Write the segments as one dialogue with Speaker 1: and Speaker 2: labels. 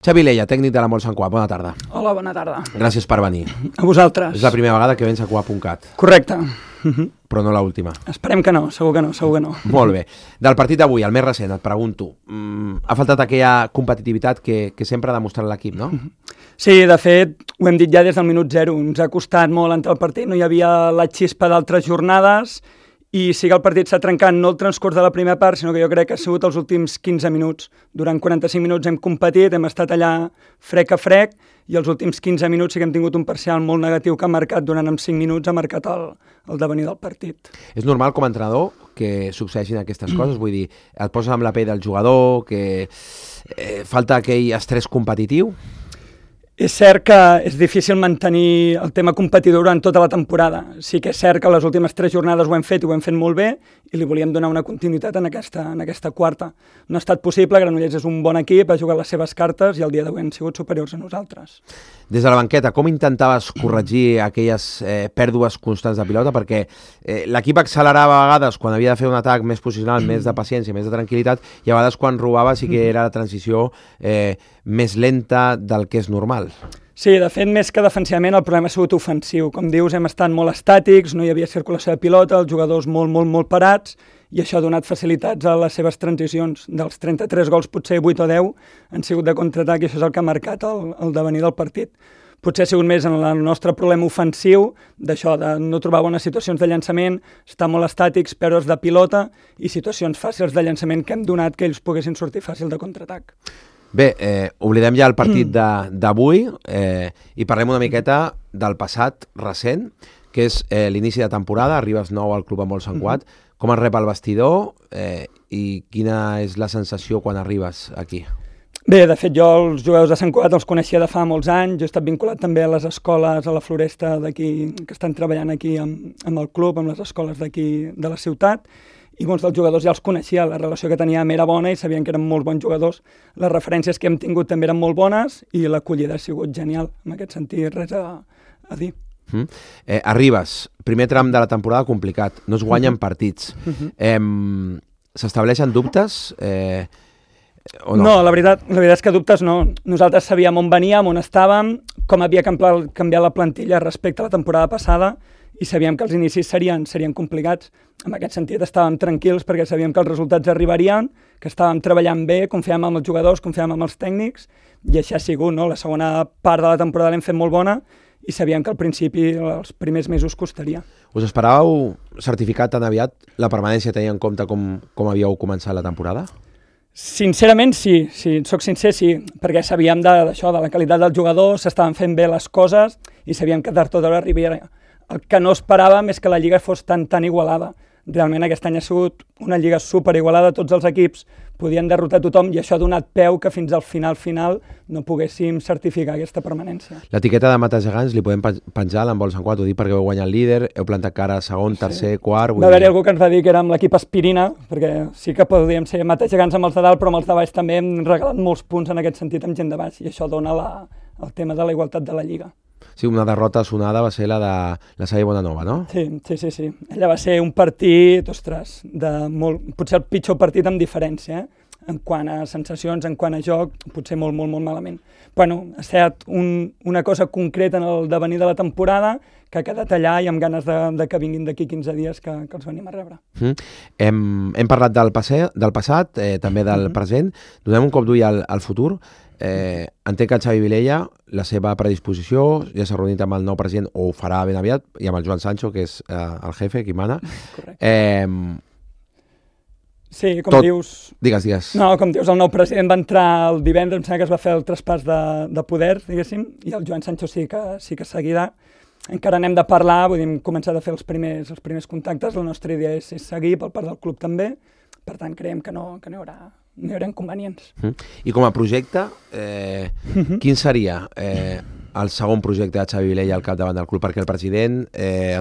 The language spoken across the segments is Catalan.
Speaker 1: Xavi Leia, tècnic de la Molt Sant Cuap, bona tarda.
Speaker 2: Hola, bona tarda.
Speaker 1: Gràcies per venir.
Speaker 2: A vosaltres.
Speaker 1: És la primera vegada que vens a Cuap.cat.
Speaker 2: Correcte.
Speaker 1: Però no l'última.
Speaker 2: Esperem que no, segur que no, segur que no.
Speaker 1: Molt bé. Del partit d'avui, el més recent, et pregunto, ha faltat aquella competitivitat que sempre ha demostrat l'equip, no?
Speaker 2: Sí, de fet, ho hem dit ja des del minut 0, ens ha costat molt entrar al partit, no hi havia la xispa d'altres jornades i sí que el partit s'ha trencat no el transcurs de la primera part, sinó que jo crec que ha sigut els últims 15 minuts. Durant 45 minuts hem competit, hem estat allà frec a frec i els últims 15 minuts sí que hem tingut un parcial molt negatiu que ha marcat, durant 5 minuts ha marcat el devenir del partit.
Speaker 1: És normal com a entrenador que succeeixin aquestes coses? Vull dir, et poses amb la pell del jugador, que falta aquell estrès competitiu?
Speaker 2: És cert que és difícil mantenir el tema competidor durant tota la temporada. Sí que és cert que les últimes 3 jornades ho hem fet i ho hem fet molt bé i li volíem donar una continuïtat en aquesta quarta. No ha estat possible, Granollers és un bon equip, ha jugat les seves cartes i el dia d'avui han sigut superiors a nosaltres.
Speaker 1: Des de la banqueta, com intentaves corregir aquelles pèrdues constants de pilota? Perquè l'equip accelerava a vegades quan havia de fer un atac més posicional, més de paciència, més de tranquil·litat, i a vegades quan robava sí que era la transició més lenta del que és normal.
Speaker 2: Sí, de fet, més que defensivament, el problema ha sigut ofensiu. Com dius, hem estat molt estàtics, no hi havia circulació de pilota, els jugadors molt parats, i això ha donat facilitats a les seves transicions. Dels 33 gols, potser 8 o 10 han sigut de contraatac i això és el que ha marcat el devenir del partit. Potser ha sigut més en el nostre problema ofensiu, d'això, de no trobar bones situacions de llançament, estar molt estàtics, pèrdues de pilota i situacions fàcils de llançament que hem donat que ells poguessin sortir fàcil de contraatac.
Speaker 1: Bé, oblidem ja el partit d'avui i parlem una miqueta del passat recent, que és l'inici de temporada, arribes nou al Club Molt Sant Cuap. Com es rep el vestidor i quina és la sensació quan arribes aquí?
Speaker 2: Bé, de fet, jo els jugadors de Sant Cugat els coneixia de fa molts anys, jo he estat vinculat també a les escoles, a la Floresta d'aquí, que estan treballant aquí amb el club, amb les escoles d'aquí de la ciutat, i molts dels jugadors ja els coneixia, la relació que teníem era bona i sabien que eren molt bons jugadors. Les referències que hem tingut també eren molt bones i l'acollida ha sigut genial. En aquest sentit, res a dir.
Speaker 1: Arribes, primer tram de la temporada complicat, no es guanyen partits. S'estableixen dubtes o no?
Speaker 2: No, la veritat és que dubtes no. Nosaltres sabíem on veníem, on estàvem, com havia canviat la plantilla respecte a la temporada passada i sabíem que els inicis serien complicats. En aquest sentit estàvem tranquils perquè sabíem que els resultats arribarien, que estàvem treballant bé, confiàvem en els jugadors, confiàvem en els tècnics i així ha sigut, no? La segona part de la temporada l'hem fet molt bona i sabíem que al principi, els primers mesos costaria.
Speaker 1: Us esperàveu certificar tan aviat la permanència tenint en compte com havíeu començat la temporada?
Speaker 2: Sincerament sí, soc sincer sí, perquè sabíem d'això, de la qualitat dels jugadors, s'estaven fent bé les coses i sabíem que tard o d'hora arribaria. El que no esperàvem és que la Lliga fos tan igualada. Realment aquest any ha sigut una Lliga superigualada, tots els equips podien derrotar tothom i això ha donat peu que fins al final no poguéssim certificar aquesta permanència.
Speaker 1: L'etiqueta de Matagegants li podem penjar a l'Handbol Sant Cuap, ho dic perquè heu guanyat el líder, heu plantat cara a segon, tercer, quart...
Speaker 2: Va haver-hi algú que ens va dir que érem l'equip Aspirina, perquè sí que podíem ser Matagegants amb els de dalt, però amb els de baix també hem regalat molts punts en aquest sentit amb gent de baix i això dona el tema de la igualtat de la Lliga.
Speaker 1: Sí, una derrota sonada va ser la de la Salle Bonanova, no?
Speaker 2: Sí. Ella va ser un partit, ostres, potser el pitjor partit amb diferència, en quant a sensacions, en quant a joc, potser molt malament. Bueno, ha estat una cosa concreta en el devenir de la temporada que ha quedat allà i amb ganes de que vinguin d'aquí 15 dies que els venim a rebre.
Speaker 1: Hem parlat del passat, també del present. Donem un cop d'ull al futur. Entenc que el Xavi Vilella, la seva predisposició, ja s'ha reunit amb el nou president, o ho farà ben aviat, i amb el Joan Sancho, que és el jefe, qui mana.
Speaker 2: Correcte. Sí, com dius...
Speaker 1: Digues.
Speaker 2: No, com dius, el nou president va entrar el divendres, em sembla que es va fer el traspàs de poder, diguéssim, i el Joan Sancho sí que seguirà. Encara n'hem de parlar, vull dir, hem començat a fer els primers contactes, la nostra idea és seguir per part del club també, per tant creiem que no hi haurà inconvenients.
Speaker 1: I com a projecte, quin seria el segon projecte de Xavi Vilella al capdavant del club? Perquè el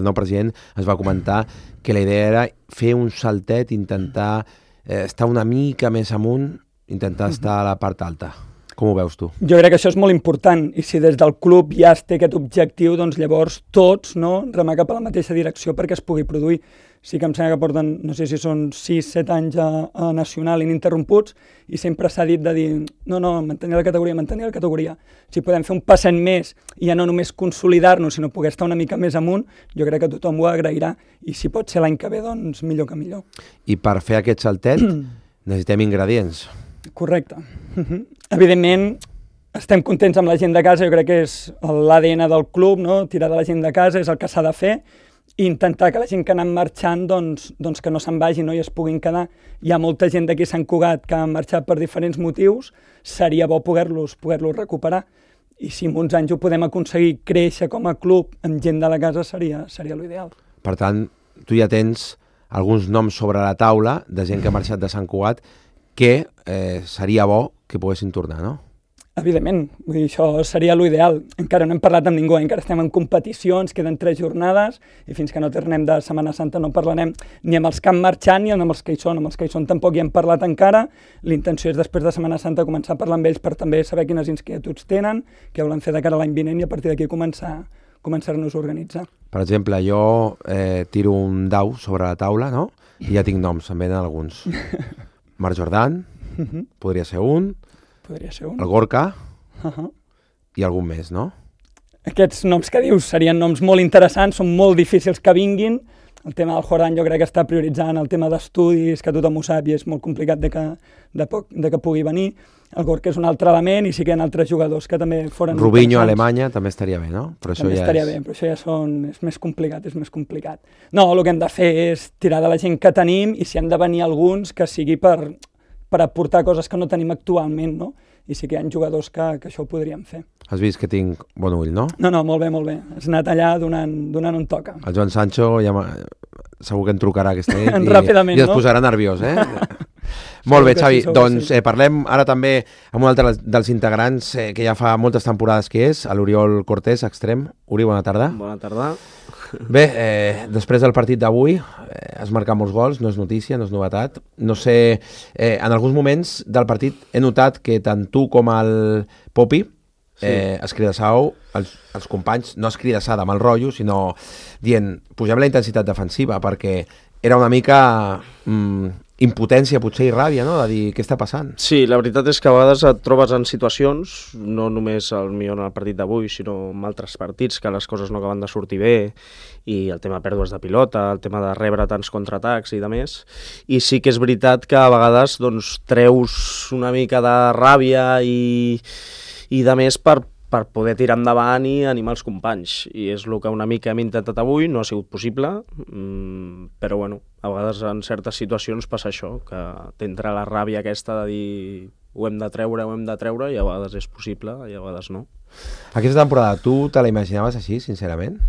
Speaker 1: nou president ens va comentar que la idea era fer un saltet, intentar estar una mica més amunt, intentar estar a la part alta. Com ho veus tu?
Speaker 2: Jo crec que això és molt important, i si des del club ja es té aquest objectiu, doncs llavors tots, no, remar cap a la mateixa direcció perquè es pugui produir. Sí que em sembla que porten, no sé si són 6-7 anys a Nacional ininterromputs, i sempre s'ha dit de dir, no, mantenir la categoria. Si podem fer un passet més i ja no només consolidar-nos, sinó poder estar una mica més amunt, jo crec que tothom ho agrairà, i si pot ser l'any que ve, doncs millor que millor.
Speaker 1: I per fer aquest saltet necessitem ingredients.
Speaker 2: Correcte. Evidentment, estem contents amb la gent de casa, jo crec que és l'ADN del club, no? Tirar de la gent de casa és el que s'ha de fer, i intentar que la gent que ha anat marxant doncs que no se'n vagi, no? I es puguin quedar. Hi ha molta gent d'aquí a Sant Cugat que ha marxat per diferents motius, seria bo poder-los recuperar, i si en uns anys ho podem aconseguir créixer com a club amb gent de la casa seria l'ideal.
Speaker 1: Per tant, tu ja tens alguns noms sobre la taula de gent que ha marxat de Sant Cugat que seria bo que poguessin tornar, no?
Speaker 2: Evidentment, vull dir, això seria l'ideal. Encara no hem parlat amb ningú, encara estem en competicions, queden 3 jornades, i fins que no tornem de Setmana Santa no parlarem ni amb els que han marxat ni amb els que hi són. Amb els que hi són tampoc hi hem parlat encara. L'intenció és després de Setmana Santa començar a parlar amb ells per també saber quines inquietuds tenen, què volen fer de cara a l'any vinent, i a partir d'aquí començar-nos a organitzar.
Speaker 1: Per exemple, jo tiro un dau sobre la taula, no? I ja tinc noms, em venen alguns. Marc Jordan, podria ser un, el Gorka i algun més, no?
Speaker 2: Aquests noms que dius serien noms molt interessants, són molt difícils que vinguin. El tema del Jordan jo crec que està prioritzant el tema d'estudis, que tothom ho sap i és molt complicat de que pugui venir. El Gorka és un altre element, i sí que hi ha altres jugadors que també foren
Speaker 1: Rubinho a Alemanya també estaria bé, no? Però
Speaker 2: també ja estaria bé, però això ja és més complicat. No, el que hem de fer és tirar de la gent que tenim, i si han de venir alguns que sigui per aportar coses que no tenim actualment, no? I sí que hi ha jugadors que això ho podríem fer.
Speaker 1: Has vist que tinc bon ull, no?
Speaker 2: No, molt bé. Has anat allà donant on toca.
Speaker 1: El Joan Sancho ja segur que em trucarà aquesta nit
Speaker 2: ràpidament,
Speaker 1: i es posarà nerviós, eh? Molt bé, Xavi. Doncs parlem ara també amb un altre dels integrants que ja fa moltes temporades que és, l'Oriol Cortés, extrem. Uri, bona tarda.
Speaker 3: Bona tarda.
Speaker 1: Bé, després del partit d'avui has marcat molts gols, no és notícia, no és novetat. No sé, en alguns moments del partit he notat que tant tu com el Popi escridassau els companys, no escridassada amb el rotllo, sinó dient, pugem la intensitat defensiva, perquè era una mica impotència potser i ràbia, no?, de dir què està passant.
Speaker 3: Sí, la veritat és que a vegades et trobes en situacions, no només en el partit d'avui, sinó en altres partits, que les coses no acaben de sortir bé, i el tema de pèrdues de pilota, el tema de rebre tants contraatacs i de més, i sí que és veritat que a vegades doncs, treus una mica de ràbia i de més per poder tirar endavant i animar els companys, i és el que una mica hem intentat avui. No ha sigut possible, però bueno, a vegades en certes situacions passa això, que t'entra la ràbia aquesta de dir ho hem de treure, i a vegades és possible i a vegades no.
Speaker 1: Aquesta temporada, tu te la imaginaves així, sincerament?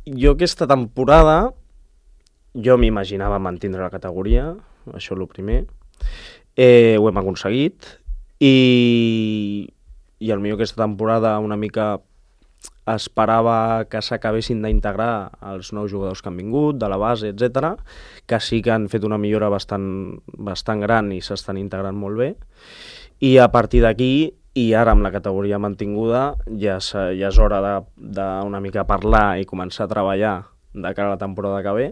Speaker 3: Jo aquesta temporada, jo m'imaginava mantindre la categoria, això és el primer, ho hem aconseguit, i potser aquesta temporada una mica esperava que s'acabessin d'integrar els nous jugadors que han vingut, de la base, etc, que sí que han fet una millora bastant gran i s'estan integrant molt bé, i a partir d'aquí, i ara amb la categoria mantinguda, ja és hora d'una mica parlar i començar a treballar de cara a la temporada que ve,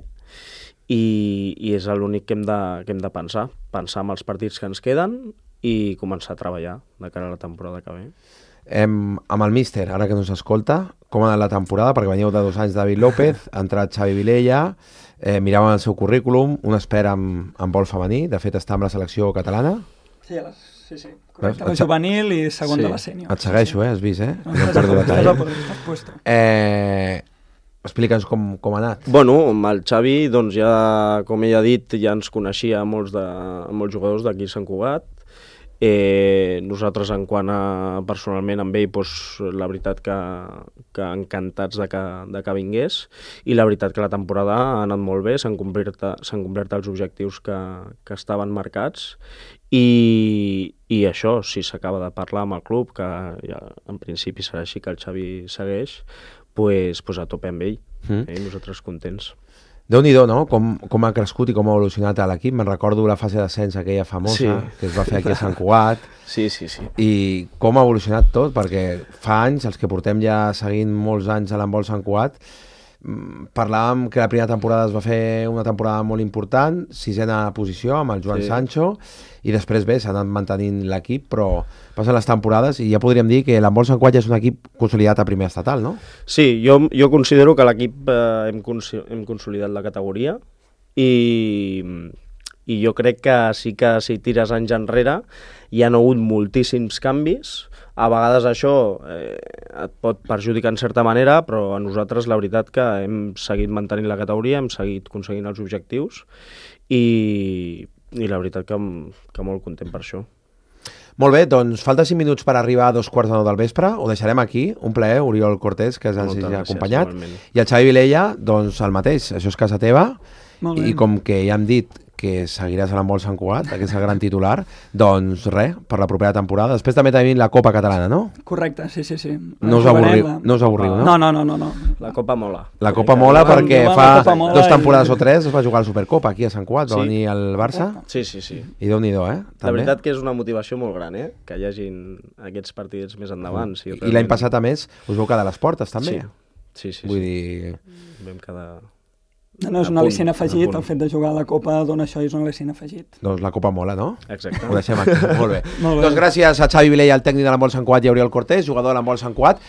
Speaker 3: i és l'únic que hem de pensar en els partits que ens queden i començar a treballar de cara a la temporada que ve.
Speaker 1: Amb el míster, ara que no s'escolta, com ha anat la temporada? Perquè veníeu de 2 anys de David López, ha entrat Xavi Vilella, miràvem el seu currículum, un espera amb vol femení, de fet està amb la selecció catalana.
Speaker 2: Sí, correcte, la juvenil i segon de la sènior.
Speaker 1: Et segueixo, has vist,
Speaker 2: No em perdo detall.
Speaker 1: Explica'ns com ha anat.
Speaker 3: Bueno, amb el Xavi, doncs ja, com ell ha dit, ja ens coneixia molts jugadors d'aquí a Sant Cugat. Nosaltres, en quant a personalment amb ell, doncs, la veritat que encantats de que vingués, i la veritat que la temporada ha anat molt bé, s'han complert els objectius que estaven marcats, i això, si s'acaba de parlar amb el club, que ja, en principi serà així, que el Xavi segueix, doncs a tope amb ell, i nosaltres contents.
Speaker 1: Déu-n'hi-do, no? Com ha crescut i com ha evolucionat l'equip. Me'n recordo la fase d'ascens aquella famosa, que es va fer aquí a Sant Cugat.
Speaker 3: Sí.
Speaker 1: I com ha evolucionat tot, perquè fa anys, els que portem ja seguint molts anys a l'handbol Sant Cugat, parlàvem que la primera temporada es va fer una temporada molt important, 6ª posició amb el Joan Sancho, i després s'ha anat mantenint l'equip, però passen les temporades i ja podríem dir que l'handbol Sant Cugat ja és un equip consolidat a primer estatal, no?
Speaker 3: Sí, jo considero que l'equip hem consolidat la categoria i jo crec que sí que si tires anys enrere hi ha hagut moltíssims canvis. A vegades això et pot perjudicar en certa manera, però a nosaltres la veritat que hem seguit mantenint la categoria, hem seguit aconseguint els objectius i la veritat que molt content per això.
Speaker 1: Molt bé, doncs falta 5 minuts per arribar a 2:15 del vespre. Ho deixarem aquí. Un plaer, Oriol Cortés, que ens ha acompanyat. I el Xavi Vilella, doncs el mateix. Això és casa teva. I com que ja hem dit que seguiràs a l'handbol Sant Cugat, aquest és el gran titular, doncs res, per la propera temporada. Després també tenim la Copa Catalana, no?
Speaker 2: Correcte, sí.
Speaker 1: No us avorriu, no?
Speaker 2: No.
Speaker 3: La Copa mola.
Speaker 1: La Copa mola perquè fa 2 temporades o 3 es va jugar a la Supercopa aquí a Sant Cugat, va venir el Barça.
Speaker 3: Sí.
Speaker 1: I Déu-n'hi-do,
Speaker 3: La veritat que és una motivació molt gran, que hi hagin aquests partits més endavant.
Speaker 1: I l'any passat, a més, us vau quedar a les portes, també?
Speaker 3: Sí.
Speaker 1: Vull dir...
Speaker 3: Vam quedar...
Speaker 2: No, és un al·licient afegit, el fet de jugar a la Copa dona això i és un al·licient afegit.
Speaker 1: Doncs la Copa mola, no?
Speaker 3: Exacte.
Speaker 1: Ho deixem aquí, molt bé. Doncs gràcies a Xavi Vilella, el tècnic de l'handbol Sant Cugat, i a Oriol Cortés, jugador de l'handbol Sant Cugat.